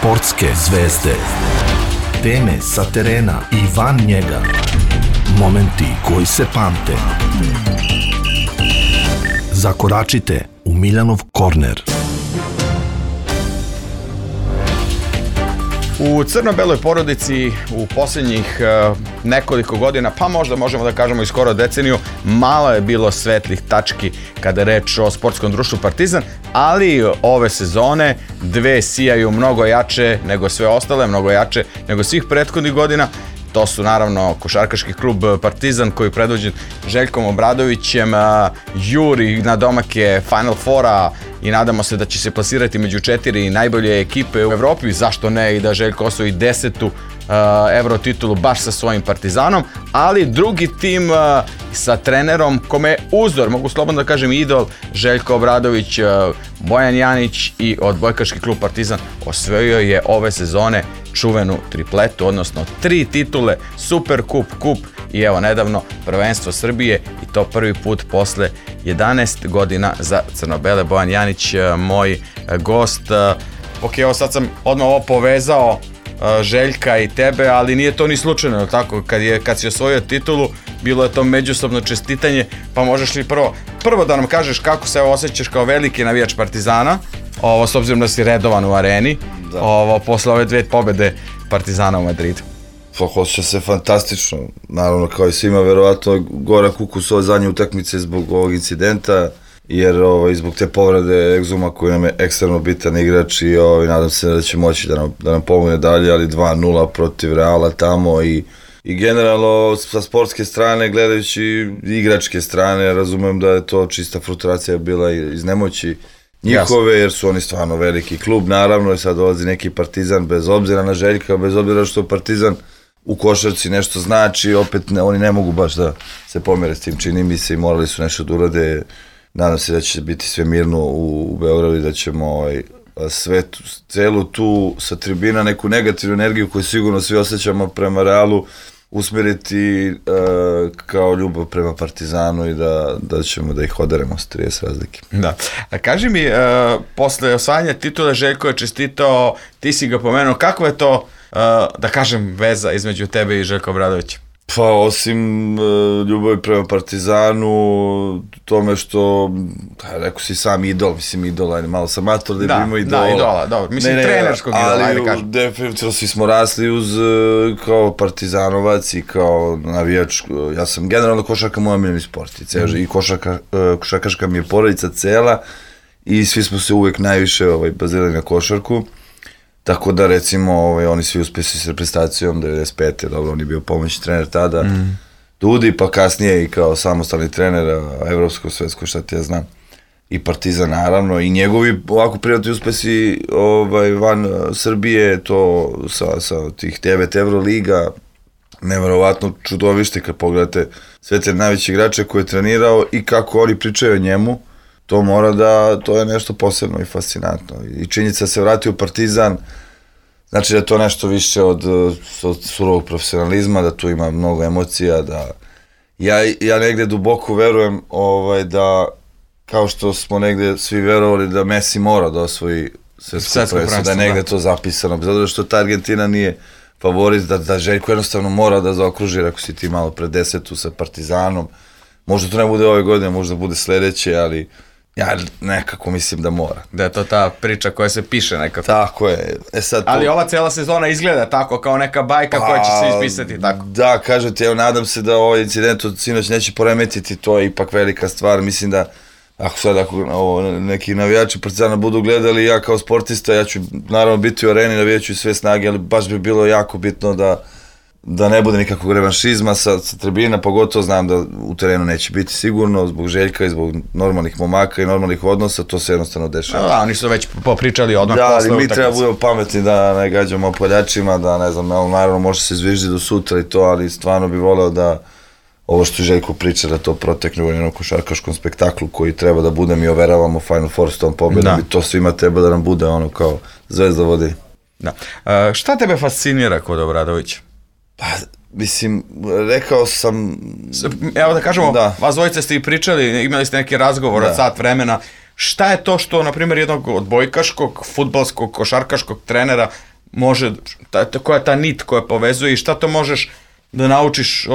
Sportske zvezde. Teme sa terena i van njega. Momenti koji se pamte. Zakoračite u Miljanov korner. U crno-beloj porodici u posljednjih nekoliko godina, pa možda možemo da kažemo i skoro deceniju, malo je bilo svetlih tački kada je reč o sportskom društvu Partizan, ali ove sezone dve sijaju mnogo jače nego sve ostale, mnogo jače nego svih prethodnih godina. To su naravno košarkaški klub Partizan koji je predvođen Željkom Obradovićem, juri na domake Final Fora i nadamo se da će se plasirati među 4 najbolje ekipe u Evropi. Zašto ne i da Željko osvoji 10. Euro titulu baš sa svojim Partizanom, ali drugi tim sa trenerom kome je uzor, mogu slobodno da kažem idol, Željko Obradović, Bojan Janić i odbojkaški klub Partizan osvojio je ove sezone čuvenu tripletu, odnosno 3 titule, Superkup, kup i evo nedavno prvenstvo Srbije i to prvi put posle 11 godina za crno-bele. Bojan Janić, moj gost. Ok, evo sad sam odmah ovo povezao Željka i tebe, ali nije to ni slučajno, tako? Kad si osvojio titulu, bilo je to međusobno čestitanje, pa možeš li prvo da nam kažeš kako se osjećaš kao veliki navijač Partizana, s obzirom da si redovan u areni, posle ove 2 pobede Partizana u Madridu. Pa osjeća se fantastično, naravno kao i svima, verovatno gorak ukus ove zadnje utakmice zbog ovog incidenta, jer zbog te povrede Egzuma koji nam je ekstremno bitan igrač i nadam se da će moći da nam pomogne dalje, ali 2-0 protiv Reala tamo i generalno sa sportske strane, gledajući igračke strane, razumem da je to čista frustracija bila iz nemoći njihove, jer su oni stvarno veliki klub, naravno, i sad dolazi neki Partizan, bez obzira na Željka, bez obzira što Partizan u košarci nešto znači, opet oni ne mogu baš da se pomere s tim, čini mi se, i morali su nešto da urade. Nadam se da će biti sve mirno u Beogradu i da ćemo celu tu sa tribina neku negativnu energiju koju sigurno svi osjećamo prema Realu usmeriti kao ljubav prema Partizanu i da ćemo da ih oderemo s 30 razlike. Da. A kaži mi, posle osvajanja titule Željko je čestitao, ti si ga pomenuo, kako je to, da kažem, veza između tebe i Željka Obradovića? Pa osim ljubavi prema Partizanu, tome što, rekao si sam idol, mislim idola, malo sam mator da bi imao idola. Da, idola, dobro, mislim trenerskog idola, ajde kažem. Definitivno svi smo rasli uz kao Partizanovac i kao navijač, ja sam generalno košarka moja omiljeni sport i košarkaška mi je porodica cela i svi smo se uvek najviše bazirali na košarku. Tako da recimo oni svi uspjesi s reprezentacijom 95. Dobro, on je bio pomoćni trener tada, Dudi, pa kasnije i kao samostalni trener evropsko, svetsko, šta ti ja znam, i Partizan naravno, i njegovi ovako privatni uspjesi van Srbije, to sa tih 9 Euroliga, neverovatno čudovište kad pogledate sve te najveće igrače koje je trenirao i kako oni pričaju o njemu. To je nešto posebno i fascinantno. I činjenica se vratio u Partizan, znači da je to nešto više od surovog profesionalizma, da tu ima mnogo emocija, da ja negde duboko verujem da, kao što smo negde svi verovali da Messi mora da osvoji svetsko prvenstvo, da je negde to zapisano, bez obzira što ta Argentina nije favorit, da Željko jednostavno mora da zaokruži, ako si ti malo pred 10 sa Partizanom, možda to ne bude ove godine, možda bude sledeće, ali ja nekako mislim da mora. Da je to ta priča koja se piše nekako. Tako je. Ali ova cijela sezona izgleda tako, kao neka bajka koja će se ispisati tako. Da, kažete, evo, nadam se da ovaj incident od sinoć neće poremetiti, to je ipak velika stvar. Mislim da, ako neki navijači Partizana budu gledali, ja kao sportista, ja ću naravno biti u areni, navijaću sve snage, ali baš bi bilo jako bitno da ne bude nikakvog revanšizma sa tribina, pogotovo znam da u terenu neće biti sigurno, zbog Željka i zbog normalnih momaka i normalnih odnosa, to se jednostavno dešava. Da, oni su već popričali odmah posle utakmice. Da, ali mi treba budemo pametni da ne gađamo poljačima, da ne znam, naravno može se izviždi do sutra i to, ali stvarno bi voleo da ovo što Željko priča, da to protekne u jednom košarkaškom spektaklu koji treba da bude, mi overavamo Final Four s tom pobedom i to svima treba da nam bude ono kao zvezda vodi. Da. Šta tebe fascinira kod Obradovića? Pa, mislim, rekao sam... Evo da kažemo, vas dvojice ste i pričali, imali ste neki razgovor od sat vremena. Šta je to što, na primjer, jednog odbojkaškog, fudbalskog, košarkaškog trenera može, koja je ta nit koja povezuje i šta to možeš da naučiš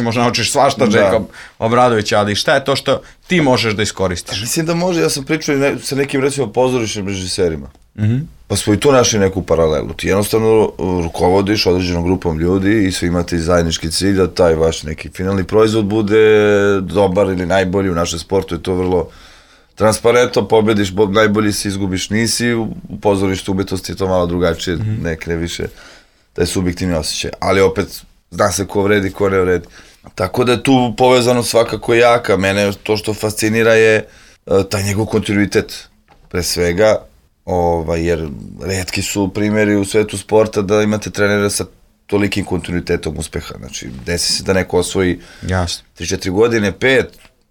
možda naučiš svašta Željka Obradovića, ali šta je to što ti možeš da iskoristiš? Mislim da može, ja sam pričao sa nekim recimo pozorišnim režiserima, pa smo i tu našli neku paralelu. Ti jednostavno rukovodiš određenom grupom ljudi i svi imate zajednički cilj da taj vaš neki finalni proizvod bude dobar ili najbolji. U našem sportu je to vrlo transparentno, pobediš, najbolji si, izgubiš nisi, u pozorištu umetnosti je to malo drugačije, ne krije više taj subjektivni osjećaj, ali opet zna se ko vredi, ko ne vredi. Tako da je tu povezano svakako jaka. Mene to što fascinira je taj njegov kontinuitet, pre svega, jer retki su primjeri u svetu sporta da imate trenere sa tolikim kontinuitetom uspeha. Znači, desi se da neko osvoji 3-4 godine, 5,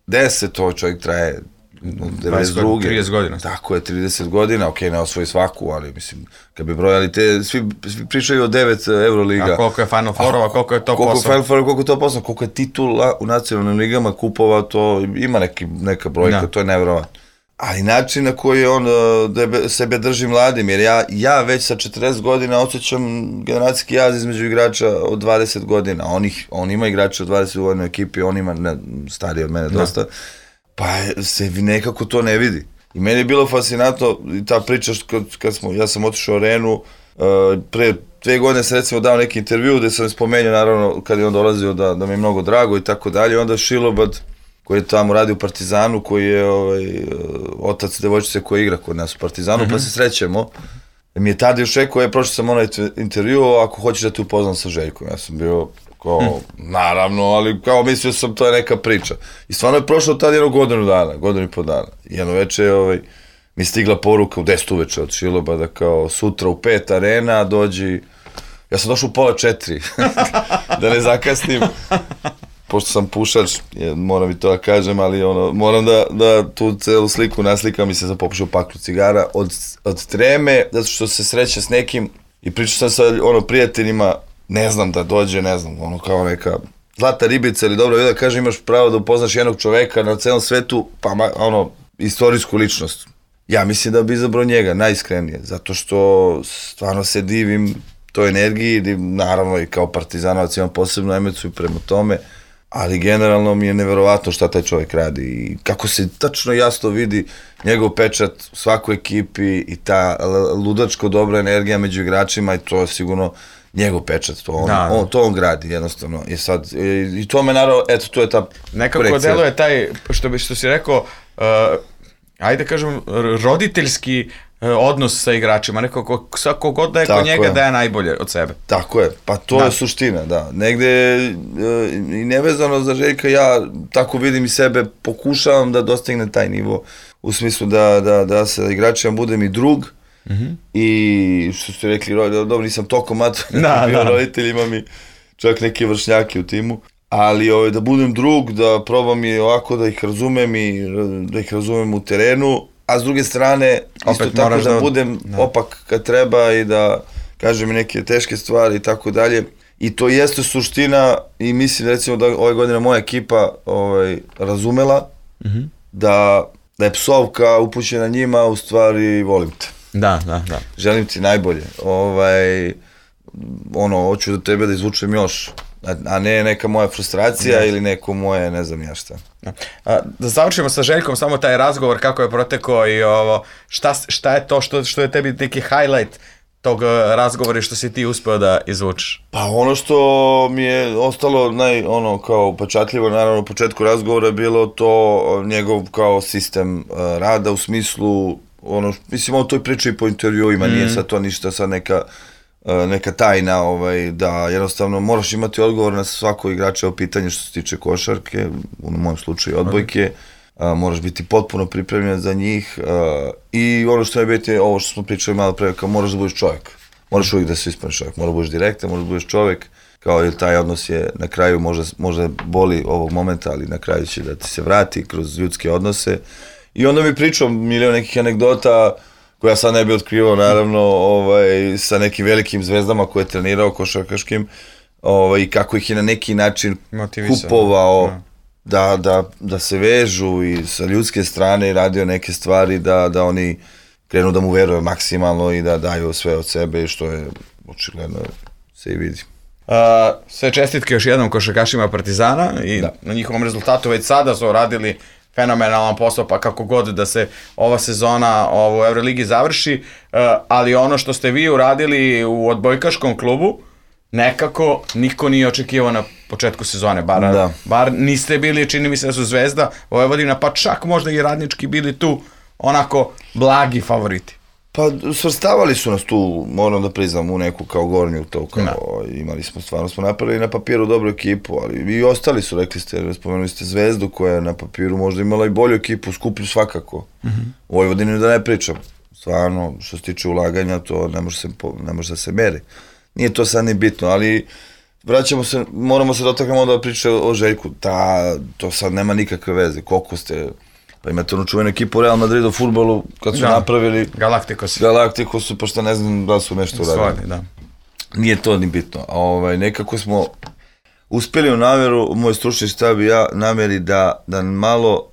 10, to čovjek traje 92. 30 godina. Tako je, 30 godina, ok, ne osvoji svaku, ali mislim, kad bi brojali te, svi pričaju o 9 Euroliga. A koliko je Final Fourova, koliko je to posao? Koliko je Final Fourova, koliko je to posao, koliko je titula u nacionalnim ligama, kupova, to ima neka brojka, to je nevjerovatno. Ali način na koji je on sebe drži mladim, jer ja već sa 40 godina osjećam generacijski jaz između igrača od 20 godina. On ima igrača od 20 godina u ekipi, on ima stariji od mene dosta. Pa se nekako to ne vidi. I meni je bilo fascinantno ta priča ja sam otišao u Arenu, pre 2 godine sam recimo dao neki intervju gde sam spomenuo naravno kad je on dolazio da mi je mnogo drago i tako dalje. Onda Šilobad koji je tamo radi u Partizanu, koji je otac devojčice koja igra kod nas u Partizanu, pa se srećemo. Mi je tada još rekao, prošao sam onaj intervju, ako hoćeš da te upoznam sa Željkom. Ja sam bio naravno, ali kao mislio sam to je neka priča. I stvarno je prošlo tada godinu i po dana. Jedno veče mi stigla poruka u 10 uveče od Šilobada kao sutra u 5 Arena, dođi. Ja sam došao u 3:30, da ne zakasnim. Pošto sam pušač, moram i to da kažem, ali moram da tu celu sliku naslikam i se sam popušao paklu cigara od treme, zato što se sreće s nekim i pričao sam sa prijateljima, ne znam da dođe, ne znam, kao neka zlata ribica ili dobra vida, kaže imaš pravo da upoznaš jednog čoveka na celom svetu, pa istorijsku ličnost. Ja mislim da bi izabrao njega, najiskrenije, zato što stvarno se divim toj energiji, naravno i kao partizanovac imam posebnu emociju prema tome, ali generalno mi je neverovatno šta taj čovjek radi i kako se tačno jasno vidi njegov pečat u svakoj ekipi i ta ludačko dobra energija među igračima i to je sigurno njegov pečat, to on gradi jednostavno. I to me naravno, eto, to je ta nekako deluje taj, što si rekao, ajde kažem, roditeljski odnos sa igračima, neko svako god da je kod njega daje najbolje od sebe. Tako je, pa to je suština, da. Negde i nevezano za Željka, ja tako vidim i sebe, pokušavam da dostignem taj nivo, u smislu da sa igračima budem i drug, i što ste rekli, dobro, nisam toliko bio roditelj, imam i čak neke vršnjake u timu, ali da budem drug, da probam i ovako da ih razumem i da ih razumem u terenu, a s druge strane, isto tako da budem opak kad treba i da kažem neke teške stvari i tako dalje. I to jeste suština i mislim recimo da ove godine moja ekipa razumela da je psovka upućena njima, u stvari volim te. Da. Želim ti najbolje. Hoću do tebe da izvučem još, a ne neka moja frustracija ili neko moje, ne znam ja šta. Da završimo sa Željkom samo taj razgovor, kako je protekao i šta je to što je tebi neki highlight tog razgovora i što si ti uspeo da izvučeš? Pa ono što mi je ostalo kao upečatljivo, naravno u početku razgovora je bilo to njegov kao sistem rada u smislu, mislim on to i priča i po intervjuima, nije sad to ništa sad neka tajna, da jednostavno moraš imati odgovor na svako igračevo pitanje što se tiče košarke, u mojem slučaju odbojke, moraš biti potpuno pripremljen za njih i ono što je biti, ovo što smo pričali malo pre, kao moraš da budeš čovjek, moraš uvijek da se ispaniš čovjek, moraš da budeš direktan, moraš da budeš čovjek, kao jer taj odnos je na kraju možda boli ovog momenta, ali na kraju će da ti se vrati kroz ljudske odnose. I onda mi pričao milion nekih anegdota koja sad ne bi otkrivao, naravno, sa nekim velikim zvezdama koje je trenirao košarkaškim i kako ih je na neki način kupovao da se vežu i sa ljudske strane i radio neke stvari da oni krenu da mu veruju maksimalno i da daju sve od sebe, što je očigledno se i vidi. Sve čestitke još jednom košarkašima Partizana i na njihovom rezultatu već sada su radili fenomenalan posao, pa kako god da se ova sezona u Euroligi završi, ali ono što ste vi uradili u odbojkaškom klubu, nekako niko nije očekivao na početku sezone, bar niste bili, čini mi se da su Zvezda, Vojvodina, pa čak možda i Radnički bili tu onako blagi favoriti. Pa svrstavali su nas tu, moram da priznam, u neku kao gornju, to kao imali smo, stvarno smo napravili na papiru dobru ekipu, ali i ostali su, rekli ste, spomenuli ste Zvezdu koja je na papiru možda imala i bolju ekipu, skuplju svakako. U Vojvodini da ne pričam, stvarno, što se tiče ulaganja, to ne može da se meri. Nije to sad ni bitno, ali vraćamo se, moramo se dotaknemo onda priče o Željku, to sad nema nikakve veze, koliko ste... Pa imate onu čuvenu ekipu Real Madrid u fudbalu, kad su napravili... Galacticosu, pa što ne znam da su nešto uradili. Nije to ni bitno. Nekako smo uspjeli u nameru, moj stručni štab i ja, nameri da malo,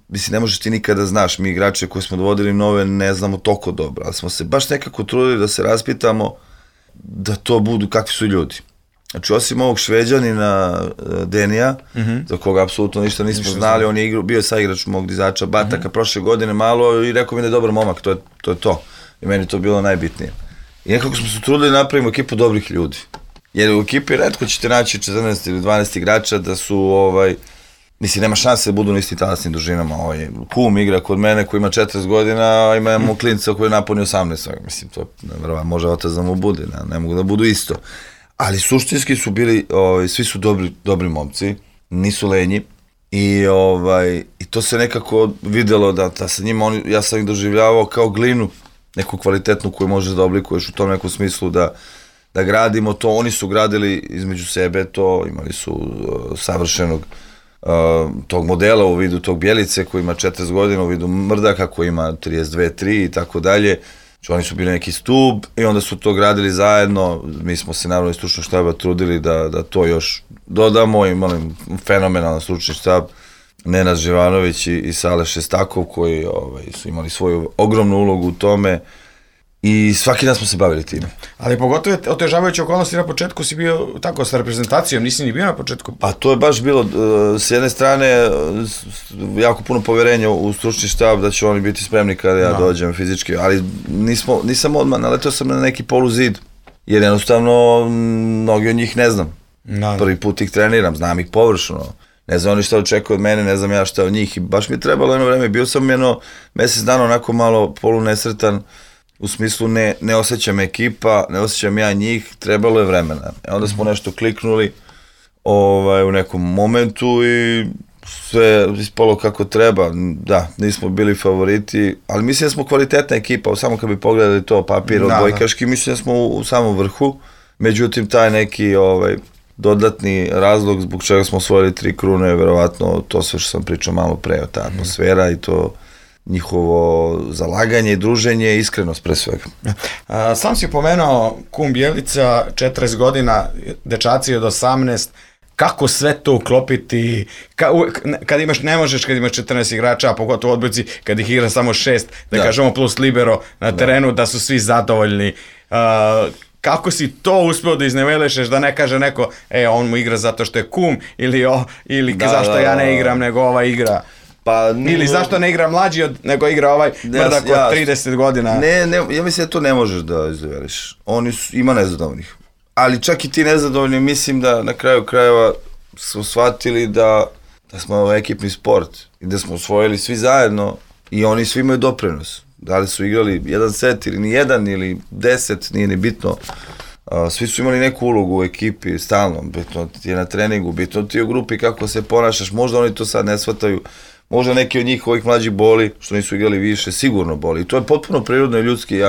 mislim, ne možeš ti nikada znaš, mi igrače koji smo dovodili nove ne znamo toliko dobro, ali smo se baš nekako trudili da se raspitamo da to budu kakvi su ljudi. Znači, osim ovog Šveđanina Denija, za koga apsolutno ništa nismo znali, on je bio saigrač mog dizača Bataka prošle godine malo i rekao mi da je dobar momak, to je to. I meni to bilo najbitnije. I nekako smo se trudili da napravimo ekipu dobrih ljudi. Jer u ekipi retko ćete naći 14 ili 12 igrača da su, mislim, nema šanse da budu na istim talasnim dužinama. Kum igra kod mene koji ima 40 godina, a imamo klinca koji je napunio 18. Mislim, to može otac da mu bude, ne mogu da budu isto. Ali suštinski su bili, svi su dobri momci, nisu lenji i to se nekako videlo da sa njima, ja sam ih doživljavao kao glinu, neku kvalitetnu koju možeš da oblikuješ u tom nekom smislu da gradimo to, oni su gradili između sebe to, imali su savršenog tog modela u vidu tog Bjelice koji ima 40 godina, u vidu Mrdaka koji ima 32, 3 i tako dalje. Oni su bili neki stub i onda su to gradili zajedno, mi smo se naravno iz stručnog štaba trudili da to još dodamo, imali fenomenalan stručni štab, Nenad Živanović i Sale Šestakov koji su imali svoju ogromnu ulogu u tome i svaki dan smo se bavili time. Ali pogotovo je otežavajuće okolnosti na početku si bio tako sa reprezentacijom, nisi ni bio na početku? Pa to je baš bilo, s jedne strane, jako puno poverenja u stručni štab da će oni biti spremni kada ja dođem fizički, ali nisam odmah, naletao sam na neki poluzid, jer jednostavno mnogi od njih ne znam. Prvi put ih treniram, znam ih površno, ne znam oni šta očekuju od mene, ne znam ja šta od njih i baš mi je trebalo jedno vreme, bio sam mjesec dana onako malo polunesretan, u smislu ne osjećam ekipa, ne osjećam ja njih, trebalo je vremena. Onda smo nešto kliknuli u nekom momentu i sve ispalo kako treba. Da, nismo bili favoriti, ali mislim da smo kvalitetna ekipa, samo kad bi pogledali to papir odbojkaški, mislim da smo u samom vrhu. Međutim, taj neki dodatni razlog zbog čega smo osvojili 3 krune je verovatno to sve što sam pričao malo pre, ta atmosfera i to njihovo zalaganje i druženje, iskrenost pre svega. Sam si pomenuo Kum Bjelica, 40 godina, dečaci od 18, kako sve to uklopiti, kad ne možeš kad imaš 14 igrača, a pogotovo odbojci, kad ih igra samo 6, da kažemo plus libero na terenu, da su svi zadovoljni. Kako si to uspeo da iznevelešeš, da ne kaže neko, on mu igra zato što je Kum, ili zašto ja ne igram nego ova igra? Ili zašto ne igra mlađi nego igra ovaj mrdak od 30 godina? Ja mislim da to ne možeš da izveliš. Ima nezadovoljnih. Ali čak i ti nezadovoljni, mislim da na kraju krajeva smo shvatili da smo ekipni sport i da smo osvojili svi zajedno i oni svi imaju doprinos. Da li su igrali jedan set ili ni jedan ili 10, nije ni bitno. Svi su imali neku ulogu u ekipi, stalno. Bitno ti je na treningu, bitno ti je u grupi kako se ponašaš. Možda oni to sad ne shvataju. Možda neki od njih ovih mlađih boli, što nisu igrali više, sigurno boli. I to je potpuno prirodno i ljudski.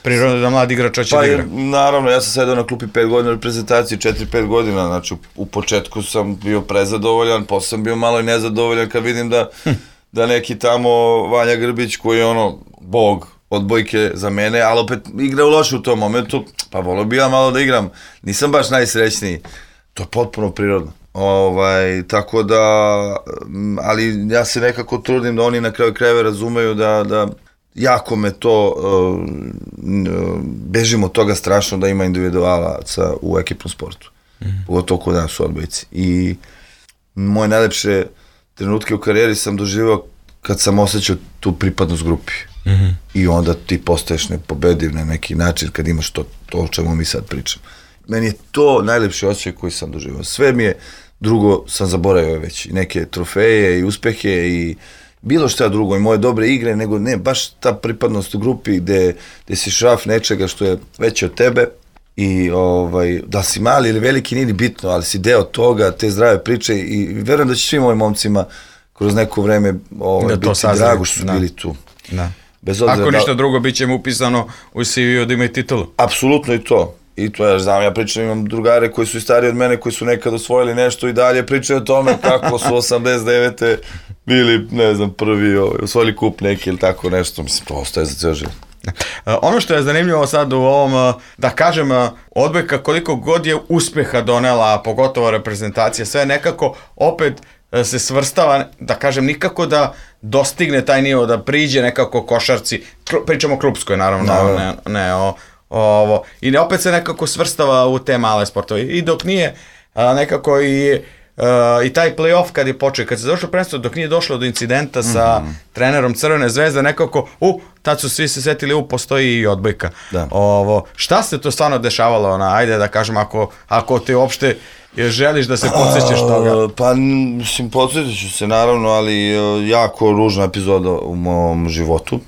Prirodno da mladi igrač hoće da igra. Naravno, ja sam sedao na klupi 5 godina u reprezentaciji, 4-5 godina, znači u početku sam bio prezadovoljan, posle sam bio malo i nezadovoljan kad vidim da neki tamo Vanja Grbić koji je bog odbojke za mene, ali opet igra u loše u tom momentu, pa volio bi ja malo da igram. Nisam baš najsrećniji. To je potpuno prirodno. Tako da, ali ja se nekako trudim da oni na kraju krajeva razumeju da jako me to, bežim od toga strašno da ima individualaca u ekipnom sportu. Pogotovo kod nas u odbojci. I moje najlepše trenutke u karijeri sam doživao kad sam osjećao tu pripadnost grupi. I onda ti postaješ nepobediv na neki način kad imaš to o čemu mi sad pričamo. Meni je to najlepši osjećaj koji sam doživao. Sve mi je drugo sam zaboravio već. I neke trofeje i uspehe i bilo šta drugo i moje dobre igre, nego ne, baš ta pripadnost u grupi gde si šraf nečega što je veće od tebe i da si mali ili veliki nije bitno, ali si deo toga, te zdrave priče i verujem da će svim ovim momcima kroz neko vreme biti drago što su bili tu. Da. Ako ništa drugo, bit će mu upisano u CV-u da imaju titulu. Apsolutno i to. I to ja znam, ja pričam, imam drugare koji su i stariji od mene, koji su nekad osvojili nešto i dalje pričaju o tome kako su 89. bili, ne znam, prvi, osvojili kup neki ili tako nešto, mislim, to ostaje za cijel život. Ono što je zanimljivo sad u ovom, da kažem, odbojka koliko god je uspeha donela, pogotovo reprezentacija, sve nekako opet se svrstava, da kažem, nikako da dostigne taj nivo, da priđe nekako košarci, pričamo o klupskoj naravno, ne o ovo, i opet se nekako svrstava u te male sportove. I dok nije nekako i taj play-off kad je počeo, kad se došlo prvenstvo, dok nije došlo do incidenta sa trenerom Crvene zvezde, nekako, tad su svi se setili, postoji i odbojka. Šta se to stvarno dešavalo, ajde da kažem, ako te uopšte želiš da se podsjećaš toga? Pa, mislim, podsjetit ću se naravno, ali jako ružna epizoda u mom životu.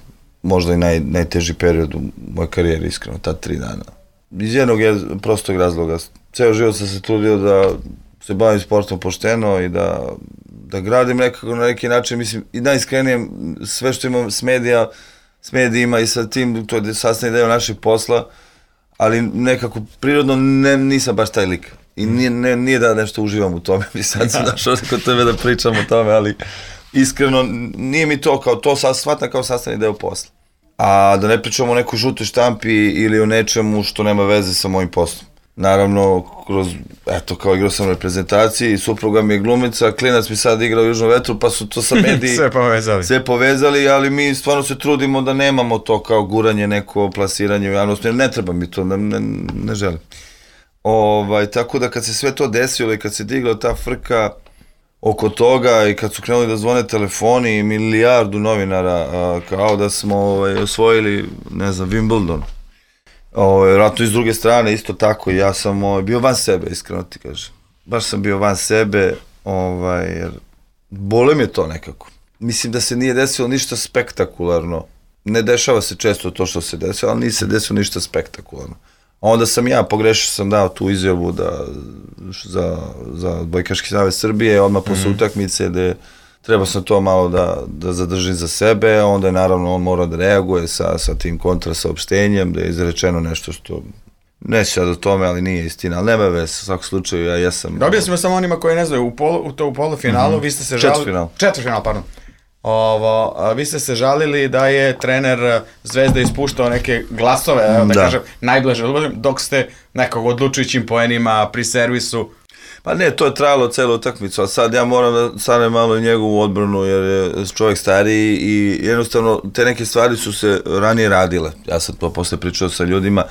Možda i najteži period u mojoj karijeri, iskreno, ta 3 dana. Iz jednog prostog razloga. Ceo život sam se trudio da se bavim sportom pošteno i da gradim nekako na neki način, mislim, i najiskrenije sve što imam s medijima i sa tim, to je sastavni deo našeg posla, ali nekako prirodno nisam baš taj lik. I nije da nešto uživam u tome, i sad sam došao kod tebe da pričam o tome, ali iskreno, nije mi to kao to shvatam kao sastavni deo posla. A da ne pričamo o nekoj žutoj štampi ili o nečemu što nema veze sa mojim poslom. Naravno, kao igrao sam u reprezentaciji i supruga mi je glumica, klinac mi sad igra u Južnom vetru, pa su to sa mediji sve povezali, ali mi stvarno se trudimo da nemamo to kao guranje, neko plasiranje u javnost, ne treba mi to, ne želim. Tako da kad se sve to desilo i kad se digla ta frka oko toga i kad su krenuli da zvone telefoni i milijardu novinara kao da smo osvojili, ne znam, Wimbledon. Vjerojatno iz druge strane isto tako, ja sam bio van sebe, iskreno ti kažem. Baš sam bio van sebe, jer bole mi je to nekako. Mislim da se nije desilo ništa spektakularno. Ne dešava se često to što se desilo, ali nije se desilo ništa spektakularno. Onda sam pogrešio sam dao tu izjavu za Odbojkaški savez Srbije, odmah posle utakmice gde treba sam to malo da zadržim za sebe, onda je naravno on mora da reaguje sa tim kontrasaopštenjem, da je izrečeno nešto što neće sad o tome, ali nije istina, ali nema veze, u svakom slučaju ja jesam... Da objasnimo samo onima koji ne znaju, u polufinalu vi ste se žalili... Četvrtfinal, pardon. Vi ste se žalili da je trener Zvezde ispuštao neke glasove, da kažem, najbliže, dok ste nekog odlučujućim poenima pri servisu. Pa ne, to je trajalo celu utakmicu, a sad ja moram da stanem malo i njegovu odbranu jer je čovjek stariji i jednostavno te neke stvari su se ranije radile. Ja sam to posle pričao sa ljudima,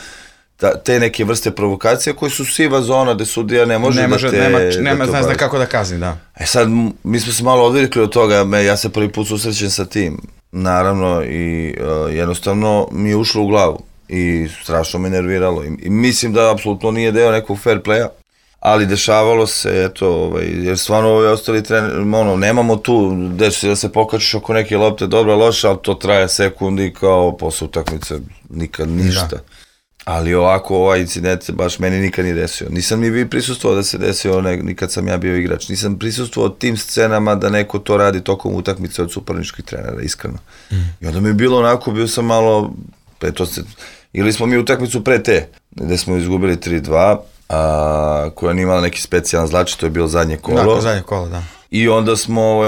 te neke vrste provokacija koje su siva zona gde sudija ne može da te... Ne zna kako da kazni, da. Sad, mi smo se malo odvikli od toga, ja se prvi put susrećem sa tim, naravno, i jednostavno mi je ušlo u glavu i strašno me nerviralo. I mislim da apsolutno nije deo nekog fair playa, ali dešavalo se, jer stvarno ostali treneri, nemamo tu da se pokačeš oko neke lopte, dobra, loša, ali to traje sekundi kao posle utakmice, nikad ništa. Ali ovako, ovaj incident baš meni nikad nije desio. Nisam ni prisustvovao da se desio nikad sam ja bio igrač. Nisam prisustvovao tim scenama da neko to radi tokom utakmice od suparničkih trenera, iskreno. I onda mi je bilo onako, bio sam malo, igrali smo mi utakmicu pre te, gde smo izgubili 3-2, koja nije imala neki specijalan značaj, to je bilo zadnje kolo. Da, zadnje kolo, da. I onda smo,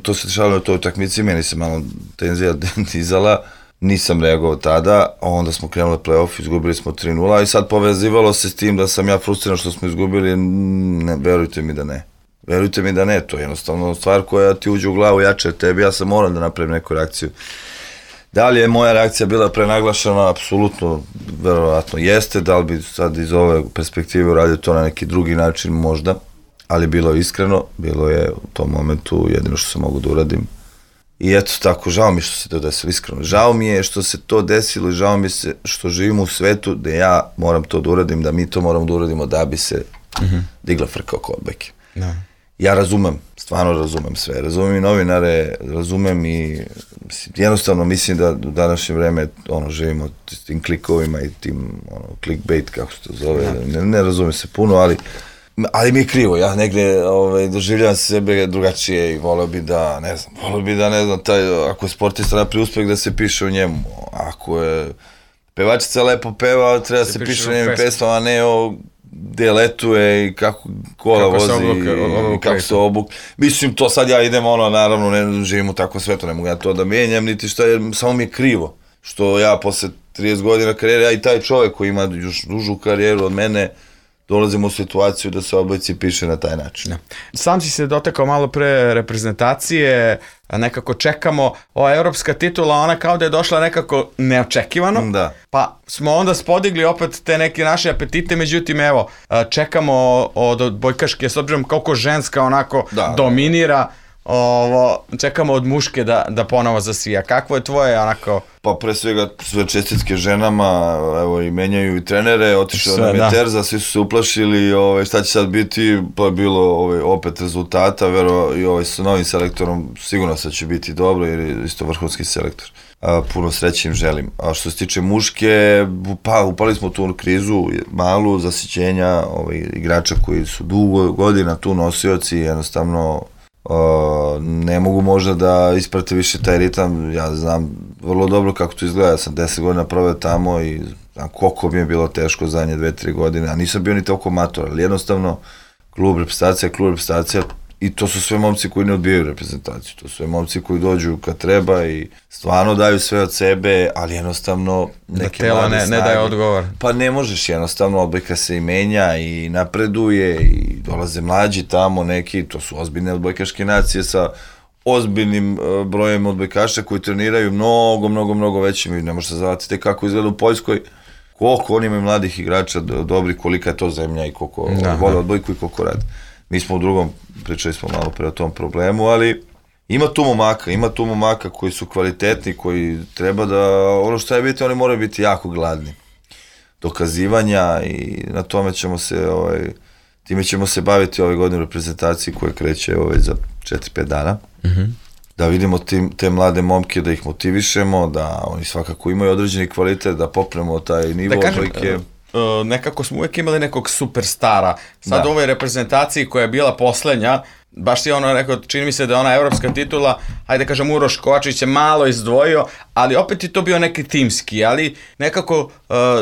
to se dešavalo na toj utakmici, meni se malo tenzija dizala, nisam reagovao tada, a onda smo krenuli play-off, izgubili smo 3-0 i sad povezivalo se s tim da sam ja frustriran što smo izgubili, ne, verujte mi da ne. Verujte mi da ne, to je jednostavno stvar koja ti uđe u glavu jače od tebi, ja sam moram da napravim neku reakciju. Da li je moja reakcija bila prenaglašena? Apsolutno, verovatno jeste. Da li bi sad iz ove perspektive uradio to na neki drugi način? Možda. Ali bilo je iskreno, bilo je u tom momentu jedino što sam mogu da uradim. I eto tako, žao mi što se to desilo, iskreno. Žao mi je što se to desilo i žao mi se što živimo u svetu da ja moram to da uradim, da mi to moramo da uradimo da bi se digla frka oko odbojke. Ja razumem, stvarno razumem sve. Razumem i novinare, razumem i jednostavno mislim da u današnje vreme živimo tim klikovima i tim clickbait, kako se to zove. Ne razumem se puno, ali mi je krivo, ja negde doživljavam sebe drugačije i voleo bi da, ne znam, ako je sportista napravi uspeh da se piše o njemu, ako je pevačica lepo peva, treba se piše o njemu pesma, a ne o gde letuje i kako kola vozi i kako se obuk. Mislim, to sad ja idem, naravno, ne živim u takvom svetu, ne mogu ja to da menjam, niti šta, samo mi je krivo, što ja posle 30 godina karijere, ja i taj čovek koji ima još dužu karijeru od mene, dolazimo u situaciju da se odbojci piše na taj način. Sam si se dotakao malo pre reprezentacije, nekako čekamo, ova evropska titula, ona kao da je došla nekako neočekivano, pa smo onda spodigli opet te neke naše apetite, međutim evo, čekamo od odbojkaške, s obzirom koliko ženska onako dominira, čekamo od muške da ponovo zasija. Kakvo je tvoje onako... Pa pre svega sve čestitke ženama, evo i menjaju i trenere, otišao nam je Terza, svi su se uplašili, šta će sad biti, pa je bilo opet rezultata, i sa novim selektorom sigurno sad će biti dobro jer je isto vrhunski selektor. Puno sreće im želim. A što se tiče muške, pa upali smo tu krizu malu zasićenja igrača koji su dugo godina tu nosioci, jednostavno ne mogu možda da isprate više taj ritam. Ja znam vrlo dobro kako to izgleda, ja sam 10 godina proveo tamo i znam koliko mi je bilo teško zadnje 2-3 godine, a nisam bio ni toliko mator, ali jednostavno klub reprezentacija i to su sve momci koji ne odbijaju reprezentaciju, to su sve momci koji dođu kad treba i stvarno daju sve od sebe, ali jednostavno neke mlade snage. Ne daje odgovor. Pa ne možeš, jednostavno odbojka se i menja i napreduje i dolaze mlađi tamo neki, to su ozbiljne odbojkaške nacije sa ozbiljnim brojem odbojkaša koji treniraju mnogo većim i ne možete zavatiti kako izgleda u Poljskoj, koliko oni imaju mladih igrača dobri, kolika je to zemlja i koliko vole odbojku i koliko rade. Mi smo u drugom, pričali smo malo pre o tom problemu, ali ima tu momaka koji su kvalitetni, koji treba da, ono što je biti, oni moraju biti jako gladni dokazivanja i na tome ćemo se, time ćemo se baviti ove godine u reprezentaciji koja kreće za 4-5 dana. Da vidimo te mlade momke, da ih motivišemo, da oni svakako imaju određeni kvalitet, da popnemo taj nivo odbojke. Nekako smo uvijek imali nekog superstara. Sad u ovoj reprezentaciji koja je bila poslednja, baš si rekao, čini mi se da je ona evropska titula, hajde kažem Uroš Kovačević je malo izdvojio, ali opet je to bio neki timski, ali nekako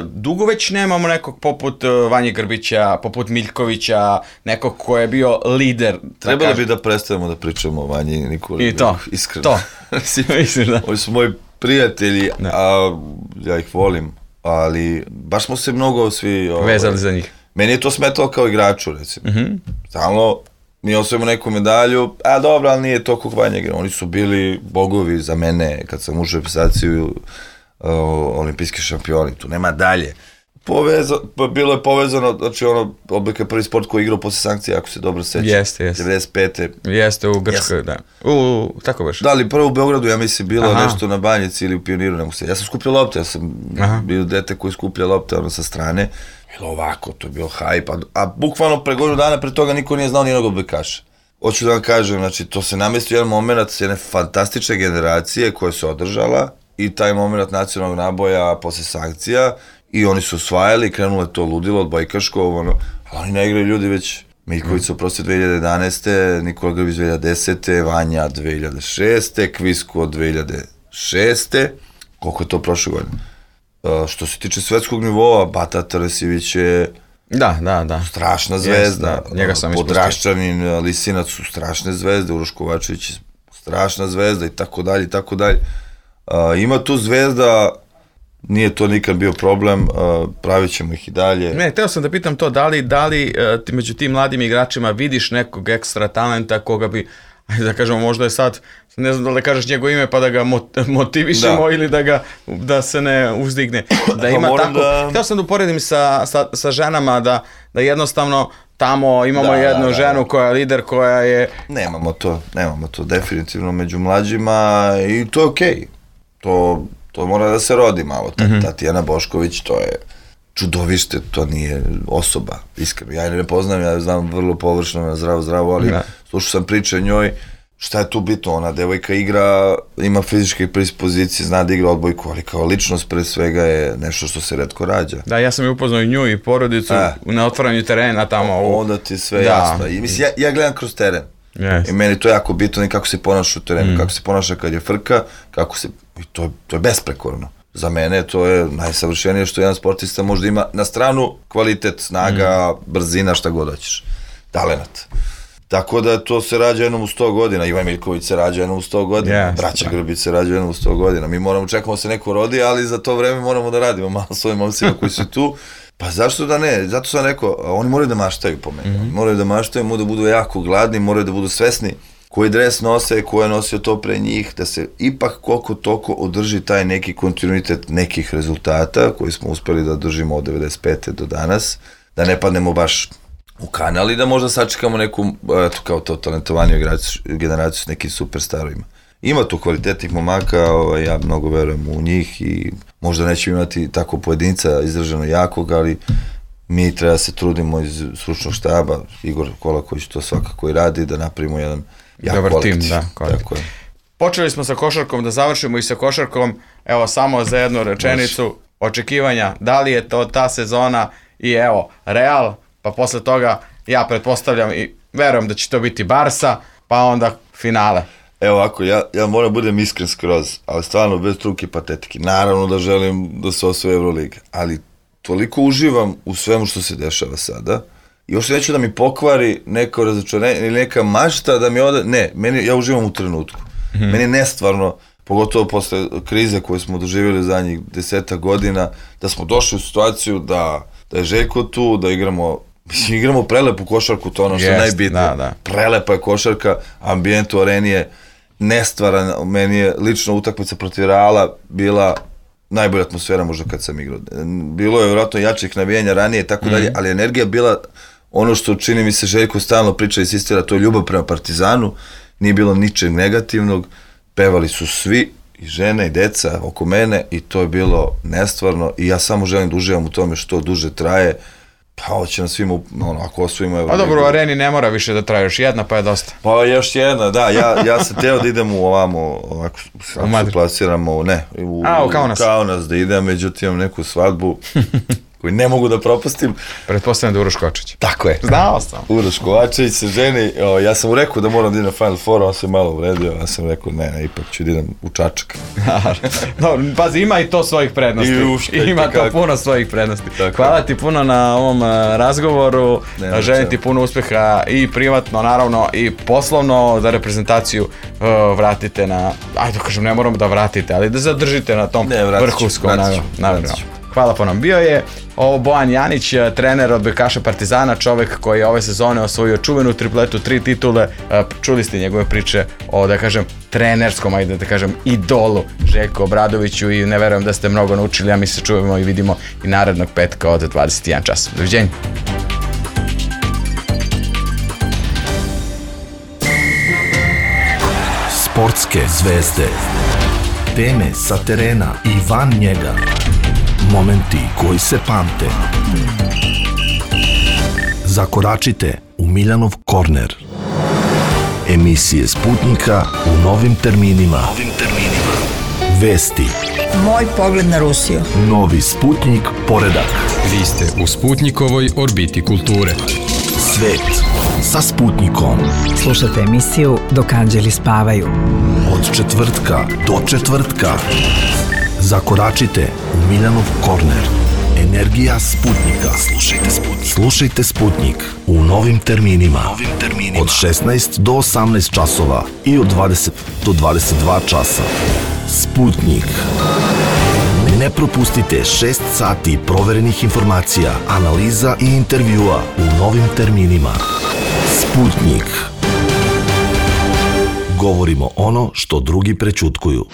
dugo već nemamo nekog poput Vanje Grbića, poput Miljkovića, nekog ko je bio lider. Trebalo bi da prestavimo da pričamo o Vanji Nikoli. I to, iskreno. Oni su moji prijatelji, a ja ih volim. Ali baš smo se mnogo svi vezali za njih. Meni je to smetalo kao igraču, recimo. Stalno mi osvojimo neku medalju, a dobro, ali nije to kog Vanja igra. Oni su bili bogovi za mene kad sam ušao u reprezentaciju, olimpijski šampioni, tu nema dalje. Bilo je povezano, znači odbojka je prvi sport koji je igrao posle sankcije, ako se dobro sećam. Jeste. 95. Jeste, u Grčkoj, da. Tako baš. Da, ali prvo u Beogradu, ja mislim, bilo nešto na Banjici ili u Pioniru, ne mogu se. Ja sam skupljao lopte, ja sam bio dete koji skuplja lopte sa strane. Bilo ovako, to je bio hype, a bukvalno pre godinu dana pre toga niko nije znao nijednog odbojkaša. Hoću da vam kažem, znači, to se namestio jedan moment s jedne fantastične generacije koja se održala i taj moment nacionalnog naboja posle sankcija. I oni su osvajali, krenulo je to ludilo odbojkaško, ali oni ne igraju ljudi već. Miljković su prosto 2011. Nikola Grbić 2010. Vanja 2006. Kvisko 2006. Koliko je to prošle godine? Što se tiče svetskog nivoa, Bata Tarasivić je strašna zvezda. Podraščanin, Lisinac su strašne zvezde, Uroš Kovačević je strašna zvezda i tako dalje. Ima tu zvezda. Nije to nikad bio problem, pravit ćemo ih i dalje. Ne, teo sam da pitam to, da li među tim mladim igračima vidiš nekog ekstra talenta koga bi, ajde da kažemo, možda je sad, ne znam da li kažeš njegovo ime pa da ga motivišemo ili da se ne uzdigne. Da ima tako, htio sam da uporedim sa ženama, da jednostavno tamo imamo jednu ženu koja je lider, koja je... Nemamo to definitivno među mlađima i to je okej. To mora da se rodi malo. Tatjana Bošković, to je čudovište, to nije osoba, iskreno. Ja ne poznam, ja znam vrlo površno, zdravo, ali slušao sam priče o njoj, šta je tu bitno, ona devojka igra, ima fizičke predispozicije, zna da igra odbojku, ali kao ličnost pre svega je nešto što se retko rađa. Da, ja sam je upoznao i nju i porodicu na otvaranju terena tamo. Onda ti sve jasno. I mislim, ja gledam kroz teren. I meni to je jako bitno i kako se ponaša u terenu, kako se ponaša kad je frka, i to je besprekorno. Za mene to je najsavršenije što jedan sportista možda ima na stranu kvalitet, snaga, brzina, šta god hoćeš. Talenat. Tako da to se rađa jednom u 100 godina. Ivan Miljković se rađa jednom u 100 godina. Braća Grbić se rađa jednom u 100 godina. Mi čekamo se neko rodi, ali za to vreme moramo da radimo malo s ovim momcima koji su tu. Pa zašto da ne? Zato sam rekao, oni moraju da maštaju po meni. Moraju da maštaju, moraju da budu jako gladni, moraju da budu svesni koji dres nose, ko je nosio to pre njih, da se ipak koliko toliko održi taj neki kontinuitet nekih rezultata koji smo uspeli da držimo od 95. do danas, da ne padnemo baš u kanal i da možda sačekamo neku, kao to talentovaniju generaciju s nekim superstarovima. Ima tu kvalitetnih momaka, ja mnogo verujem u njih i možda nećemo imati tako pojedinca izraženo jakog, ali mi treba se trudimo iz stručnog štaba, Igor Kolaković to svakako i radi, da napravimo jedan dobar tim, da, korektivno. Počeli smo sa košarkom, da završimo i sa košarkom, evo samo za jednu rečenicu, očekivanja, da li je to ta sezona i evo, Real, pa posle toga ja pretpostavljam i verujem da će to biti Barsa, pa onda finale. Evo ovako, ja moram budem iskren skroz, ali stvarno bez truke i patetike. Naravno da želim da se osvoje Euroliga, ali toliko uživam u svemu što se dešava sada. Još neću da mi pokvari neko razočarenje ili neka mašta da mi ode... Ne, ja uživam u trenutku. Meni je nestvarno, pogotovo posle krize koju smo doživjeli zadnjih 10 godina, da smo došli u situaciju da je Željko tu, da igramo prelepu košarku, to ono što je najbitnije. Prelepa je košarka, ambijent u areni je nestvaran, meni je lično utakmica protiv Reala bila najbolja atmosfera možda kad sam igrao. Bilo je vjerojatno jačih navijanja ranije i tako dalje, ali energija bila ono što čini mi se Željko stalno priča i insistira, to je ljubav prema Partizanu, nije bilo ničeg negativnog, pevali su svi, i žene i deca oko mene i to je bilo nestvarno i ja samo želim da uživam u tome što duže traje, pa ovo će nam svima, ako osvojimo Euroligu. A dobro, u areni ne mora više da traje, još jedna pa je dosta. Pa još jedna, da, ja sam teo da idem u ovamo, ovako se plasiramo, u Kaunas da idem, međutim imam neku svadbu koju ne mogu da propustim. Pretpostavljam da Uroš Kovačić. Tako je. Znao sam. Uroš Kovačić se ženi, ja sam mu rekao da moram da idem na Final Four, on se malo uvredio, ja sam rekao ne, ipak ću da idem u Čačak. Dobro, pazi, ima i to svojih prednosti. Ima to puno svojih prednosti. Hvala ti puno na ovom razgovoru, želim ti puno uspeha i privatno, naravno, i poslovno, za reprezentaciju vratite na, ajde kažem, ne moramo da vratite, ali da zadržite na tom vrhunskom. Hvala puno. Bio je ovo Bojan Janić, trener odbojkaša Partizana, čovek koji je ove sezone osvojio čuvenu tripletu, 3 titule. Čuli ste njegove priče o, da kažem, trenerskom, ajde da kažem, idolu Željku Obradoviću i ne verujem da ste mnogo naučili, a mi se čujemo i vidimo i narednog petka od 21 čas. Doviđenja. Sportske zvezde, teme sa terena i van njega, momenti koji se pamte. Zakoračite u Miljanov korner. Emisije Sputnika u novim terminima. Vesti. Moj pogled na Rusiju. Novi Sputnik poredak. Vi ste u Sputnikovoj orbiti kulture. Svet sa Sputnikom. Slušajte emisiju Dok anđeli spavaju. Od četvrtka do četvrtka. Zakoračite u Miljanov korner. Energija Sputnika. Slušajte Sputnik u novim terminima. Od 16 do 18 časova i od 20 do 22 časa. Sputnik. Ne propustite 6 sati proverenih informacija, analiza i intervjua u novim terminima. Sputnik. Govorimo ono što drugi prećutkuju.